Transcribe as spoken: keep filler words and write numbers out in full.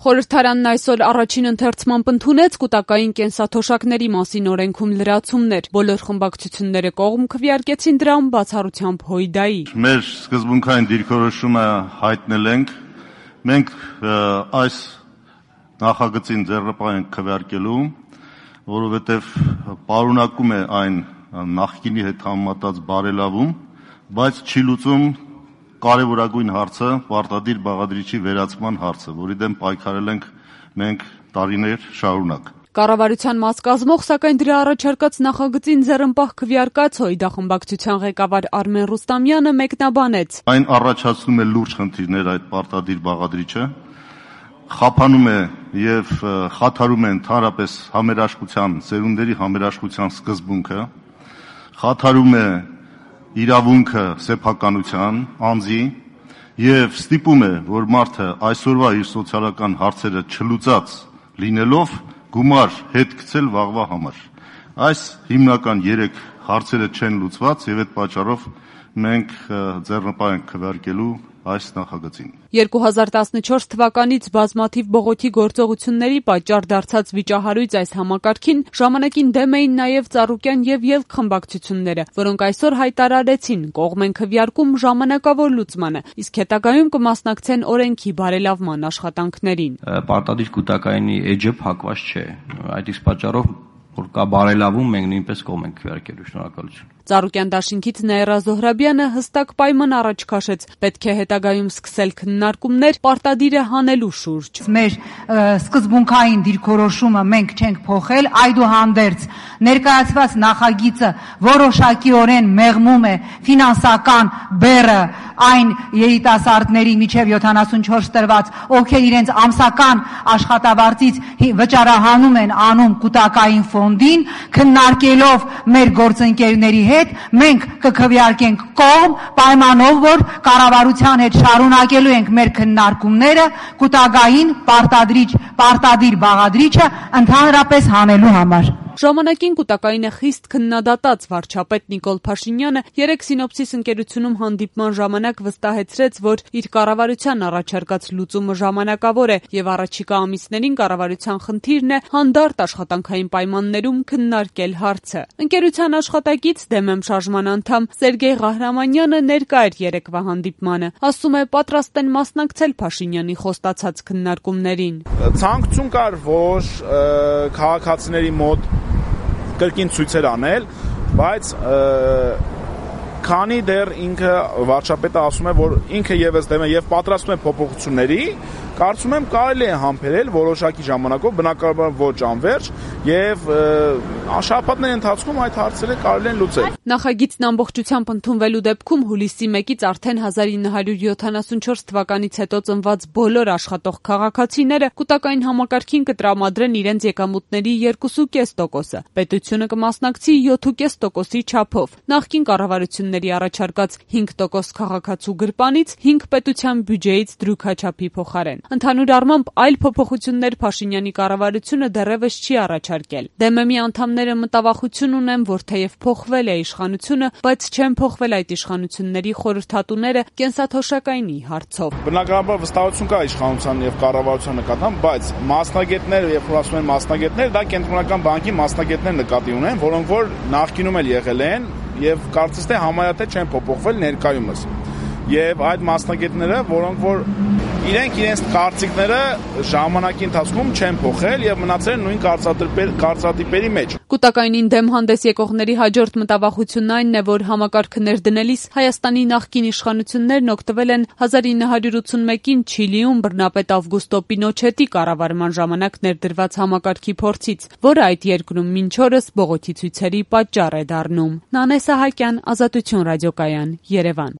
Խորհրդարանն այսօր առաջին ընթերցմամբ ընդունեց կուտակային կենսաթոշակների մասին օրենքում լրացումներ։ Բոլոր խմբակցությունները կողմ քվեարկեցին դրան, բացառությամբ Հույդայի։ Մեր սկզբունքային դիրքորոշումը հայտնել ենք։ Մենք այս նախագծին ձեռնպահ ենք քվեարկելու, որովհետև պարունակում է այն նախկինի հետ համեմատած բարելավում, բայց չի լուծում կարևորագույն հարցը պարտադիր բաղադրիչի վերացման հարցը, որի դեմ պայքարել ենք մենք տարիներ շարունակ։ Կառավարության մաս կազմող, սակայն դրա առաջարկած նախագծին ձեռնպահ քվեարկած Հույդա խմբակցության ղեկավար Արմեն Ռուստամյանը մեկնաբանեց. Այն առաջացնում է լուրջ խնդիրներ այդ պարտադիր բաղադրիչը, խափանում է եւ խաթարում է ընդհանրապես համերաշխության, սերունդերի համերաշխության սկզբունքը, խաթարում է իրավունքը սեփականության, անձի եւ ստիպում է, որ մարդը այսօրվա իր սոցիալական հարցերը չլուծած լինելով գումար հետ գցել վաղվա համար։ Այս հիմնական երեք հարցերը չեն լուծված եւ այդ պատճառով մենք ձեռնպահ ենք քվեարկելու այս նախագծին։ երկու հազար տասնչորս թվականից բազմաթիվ բողոքի գործողությունների պատճառ դարձած վիճահարույց այս համակարգին ժամանակին դեմ էին նաև Ծառուկյան եւ Ելք խմբակցությունները, որոնք այսօր հայտարարեցին կողմ են քվեարկում ժամանակավոր լուծմանը, իսկ հետագայում կմասնակցեն օրենքի բարելավման աշխատանքներին։ Պարտադիր կուտակայինի էջը փակված չէ, այդ իսկ պատճառով որ կա բարելավում, մենք նույնպես կողմ ենք քվեարկելու։ Շնորհակալություն։ Ծառուկյան դաշինքից Նաիրա Զոհրաբյանը հստակ պայման առաջ քաշեց. պետք է հետագայում սկսել քննարկումներ պարտադիրը հանելու շուրջ։ Մեր սկզբունքային դիրքորոշումը մենք չենք փոխել, այդուհանդերձ ներկայացված նախագիծը որոշակիորեն մեղմում է ֆինանսական բեռը այն երիտասարդների միջև յոթանասունչորս տրված, ովքեր իրենց ամսական աշխատավարձից վճարահանում են անում կուտակային ֆոնդին, քննարկելով մեր գործընկերների հետ մենք կքվեարկենք կողմ պայմանով, որ կառավարության հետ շարունակելու ենք մեր քննարկումները կուտակային պարտադրիչ, պարտադիր բաղադրիչը ընդհանրապես հանելու համար։ Ժամանակին կուտակայինը խիստ քննադատած վարչապետ Նիկոլ Փաշինյանը երեք Սինոպսիս ընկերությունում հանդիպման ժամանակ վստահեցրեց, որ իր կառավարության առաջարկած լուծումը ժամանակավոր է եւ առաջիկա ամիսներին կառավարության խնդիրն է հանդարտ աշխատանքային պայմաններում քննարկել հարցը։ Ընկերության աշխատակից Դեմեմ շարժման անդամ Սերգեյ Ղահրամանյանը ներկա էր երեկվա հանդիպմանը։ Ասում է պատրաստ են մասնակցել Փաշինյանի խոստացած քննարկումներին։ Ցանկություն կար, որ քաղաքացիների մոտ կրկին ցույցեր անել, բայց քանի դեռ ինքը վարչապետը ասում է, որ ինքը եւս դեմ է եւ պատրաստում է փոփոխությունների, կարծում եմ կարելի է համբերել որոշակի ժամանակով, բնականաբար ոչ անվերջ, եւ շաբաթների ընթացքում այդ հարցերը կարելի են լուծել։ Նախագիծն ամբողջությամբ ընդունվելու դեպքում հուլիսի մեկից արդեն հազար ինը հարյուր յոթանասունչորս թվականից հետո ծնված բոլոր աշխատող քաղաքացիները կուտակային համակարգին կտրամադրեն իրենց եկամուտների երկու կόμμα պենս տոկոսը։ Պետությունը կմասնակցի յոթ կόμμα պենս տոկոսի չափով։ Նախկին կառավարությունների առաջարկած հինգ տոկոս քաղաքացու գրպանից հինգ պետության բյուջեից դրույքաչափի փոխարեն։ Ընդհանուր առմամբ այլ փոփոխություններ Փաշինյանի կառավարությունը դեռևս չի առաջարկել։ Դեմեմի անդամները մտավախություն ունեն, որ թեև փոխվել է իշխանությունը, բայց չեն փոխվել այդ իշխանությունների խորհրդատուները կենսաթոշակայինի հարցով։ Բնականաբար վստահություն կա իշխանության եւ կառավարության նկատմամբ, բայց մասնագետներ, երբ որ ասում են մասնագետներ, դա կենտրոնական բանկի մասնագետներ նկատի ունեն, որոնք որ նախկինում էլ եղել են եւ կարծես թե համարյա թե չեն փոփոխվել ներկայումս։ Եվ այդ մասնագետները, որոնք որ իրենք իրենց կարծիքները ժամանակի ընթացքում չեն փոխել եւ մնացել են նույն կարծրատիպերի մեջ։ Կուտակայինին դեմ հանդես եկողների հաջորդ մտավախությունն այնն է, որ համակարգը ներդնելիս Հայաստանի նախկին իշխանություններն օգտվել են հազար ինը հարյուր ութսունմեկին Չիլիում բռնապետ Ավգուստո Պինոչետի կառավարման ժամանակ ներդրված համակարգի փորձից, որը այդ երկրում մինչ օրս բողոքի ցույցերի պատճառ է դառնում։ Նանե Սահակյան, Ազատություն ռադիոկայան, Երևան։